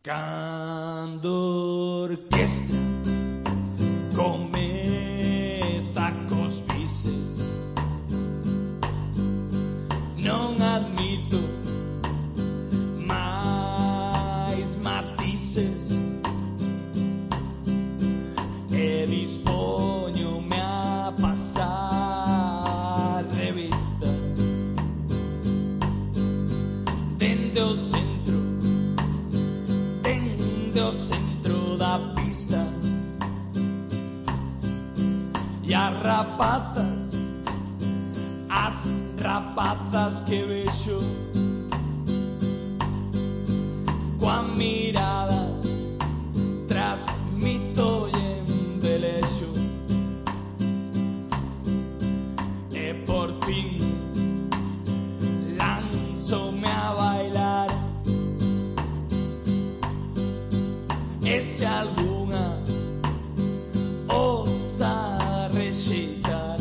Cando orquestra comeza cos bises, non admito máis matices e dispóñome a pasar revista dende o centro da pista e as rapazas que vexo coa mirada transmito e embelexo e por fin lanzome a bailar. E se alguna osa rexeitar,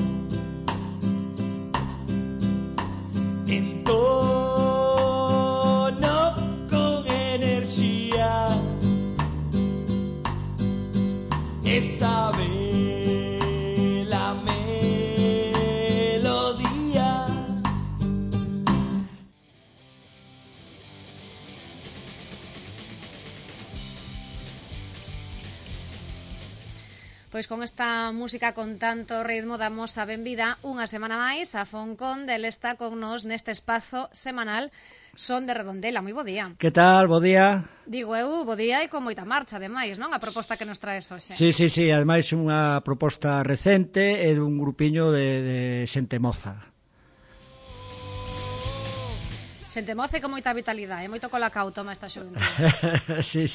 entono con enerxía e sabe la melodía. Pois con esta música con tanto ritmo damos a benvida unha semana máis a Foncón. Del está con nos neste espazo semanal Son de Redondela. Moi bo día. Que tal? Bo día. Digo eu, bo día e con moita marcha, ademais, non? A proposta que nos traes hoxe. Sí, ademais unha proposta recente e dun grupiño de xente moza. Xente moza e con moita vitalidade, moito colacao toma esta xuventude. Sí.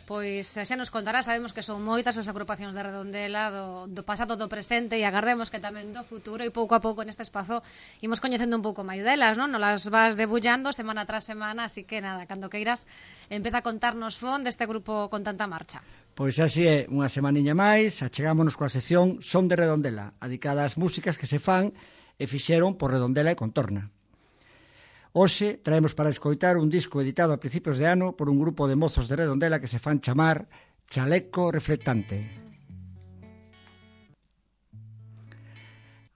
Pois xa nos contará, sabemos que son moitas as agrupacións de Redondela do pasado, do presente, e agardemos que tamén do futuro, e pouco a pouco neste espazo imos coñecendo un pouco máis delas, non? Nos las vas debullando semana tras semana, así que nada, cando queiras empeza a contarnos Fon deste grupo con tanta marcha. Pois así é, unha semaniña máis, achegámonos coa sección Son de Redondela, adicada ás músicas que se fan e fixeron por Redondela e contorna. Hoxe traemos para escoitar un disco editado a principios de ano por un grupo de mozos de Redondela que se fan chamar Chaleco Reflectante.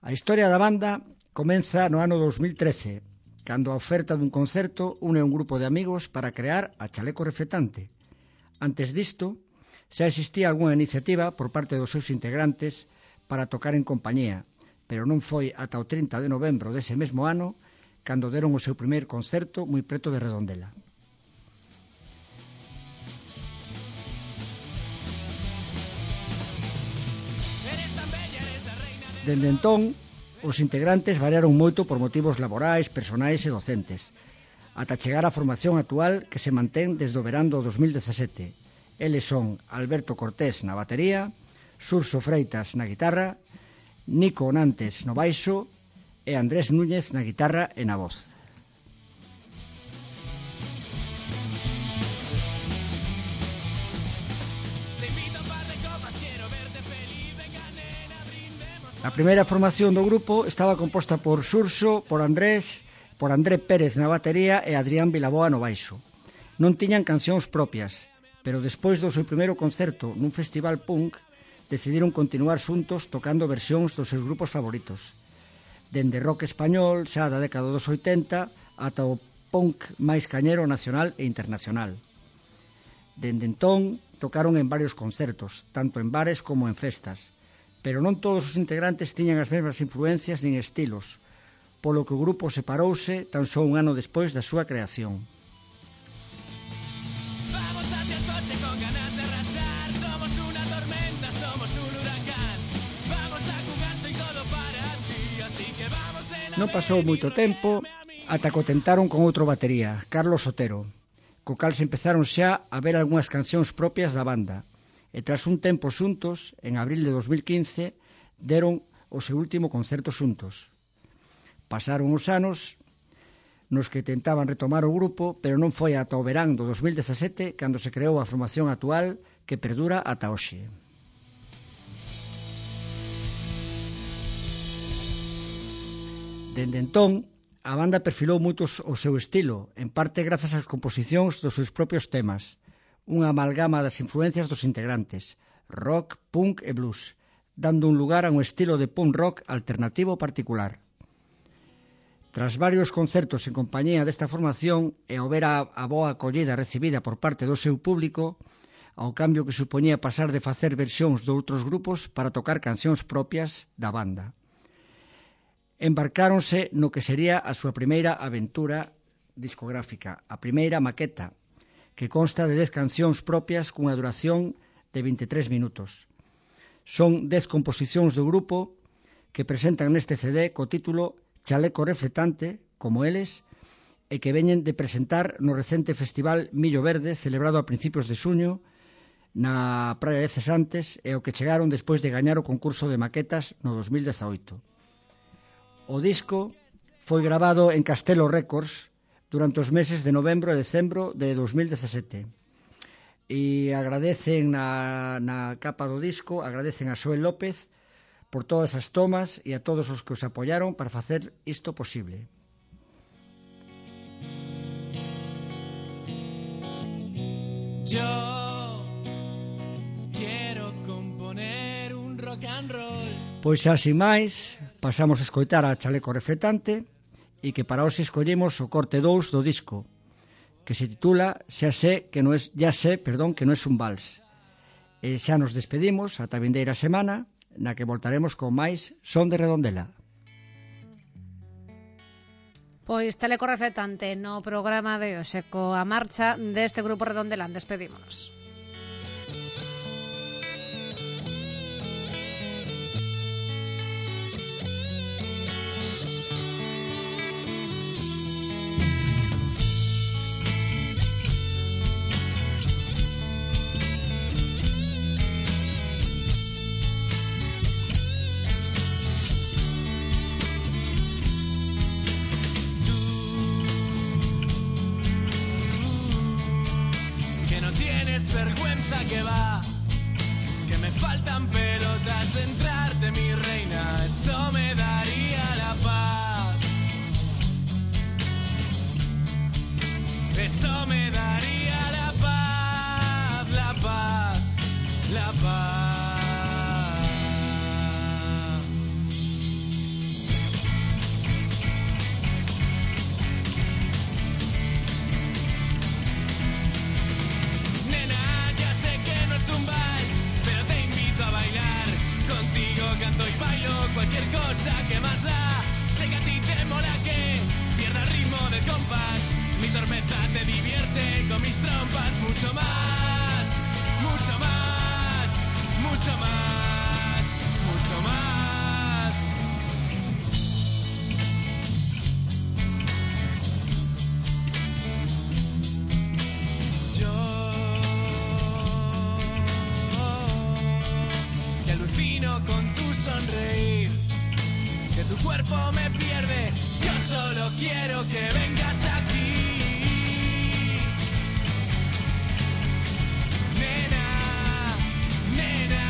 A historia da banda comeza no ano 2013, cando a oferta dun concerto une un grupo de amigos para crear a Chaleco Reflectante. Antes disto, xa existía algunha iniciativa por parte dos seus integrantes para tocar en compañía, pero non foi ata o 30 de novembro dese mesmo ano cando deron o seu primeiro concerto moi preto de Redondela. Dende entón, os integrantes variaron moito por motivos laborais, personais e docentes, ata chegar á formación actual que se mantén desde o verán do 2017. Eles son Alberto Cortés na batería, Xurxo Freitas na guitarra, Nico Nantes no baixo e Andrés Núñez na guitarra e na voz. A primeira formación do grupo estaba composta por Xurxo, por André Pérez na batería e Adrián Vilaboa no baixo. Non tiñan cancións propias, pero despois do seu primeiro concerto nun festival punk decidiron continuar xuntos tocando versións dos seus grupos favoritos. Dende rock español, xa da década dos 80, ata o punk máis cañero nacional e internacional. Dende entón, tocaron en varios concertos, tanto en bares como en festas, pero non todos os integrantes tiñan as mesmas influencias nin estilos, polo que o grupo separouse tan só un ano despois da súa creación. Non pasou moito tempo ata que o tentaron con outro batería, Carlos Otero, co cal se empezaron xa a ver algunhas cancións propias da banda, e tras un tempo xuntos, en abril de 2015, deron o seu último concerto xuntos. Pasaron os anos nos que tentaban retomar o grupo, pero non foi ata o verán do 2017 cando se creou a formación actual que perdura ata hoxe. Dende entón, a banda perfilou moito o seu estilo, en parte grazas ás composicións dos seus propios temas, unha amalgama das influencias dos integrantes, rock, punk e blues, dando un lugar a un estilo de punk rock alternativo particular. Tras varios concertos en compañía desta formación e ao ver a boa acollida recibida por parte do seu público, ao cambio que supoñía pasar de facer versións de outros grupos para tocar cancións propias da banda. Embarcáronse no que sería a súa primeira aventura discográfica, a primeira maqueta, que consta de 10 cancións propias cunha duración de 23 minutos. Son 10 composicións do grupo que presentan neste CD co título Chaleco Reflectante, como eles, e que veñen de presentar no recente festival Millo Verde, celebrado a principios de xuño, na Praia de Cesantes, e o que chegaron despois de gañar o concurso de maquetas no 2018. O disco foi gravado en Castelo Records durante os meses de novembro e decembro de 2017. E agradecen na capa do disco, agradecen a Xoel López por todas as tomas e a todos os que os apoyaron para facer isto posible. Yo quiero componer un rock and roll. Pois xa sin máis, pasamos a escoitar a Chaleco Reflectante e que para hoxe escollemos o corte 2 do disco, que se titula Ya sé que non es un vals. E xa nos despedimos ata a vindeira semana, na que voltaremos con máis Son de Redondela. Pois Chaleco Reflectante no programa de hoxe coa marcha deste grupo Redondelán. Despedímonos. Vergüenza que va, que me faltan pelotas de entrarte, mi reina, eso me daría la paz. Eso me daría la paz, la paz, la paz. Un vals, pero te invito a bailar. Contigo canto y bailo cualquier cosa que más da. Sé que a ti te mola que pierda el ritmo del compás. Mi tormenta te divierte con mis trompas. Mucho más, mucho más, mucho más, mucho más. Con tu sonreír, que tu cuerpo me pierde. Yo solo quiero que vengas aquí, nena, nena,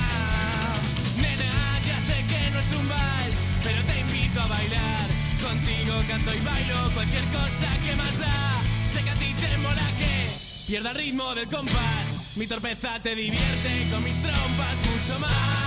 nena. Ya sé que no es un vals, pero te invito a bailar. Contigo canto y bailo cualquier cosa que más da. Sé que a ti te mola que pierda el ritmo del compás. Mi torpeza te divierte con mis trompas. Mucho más.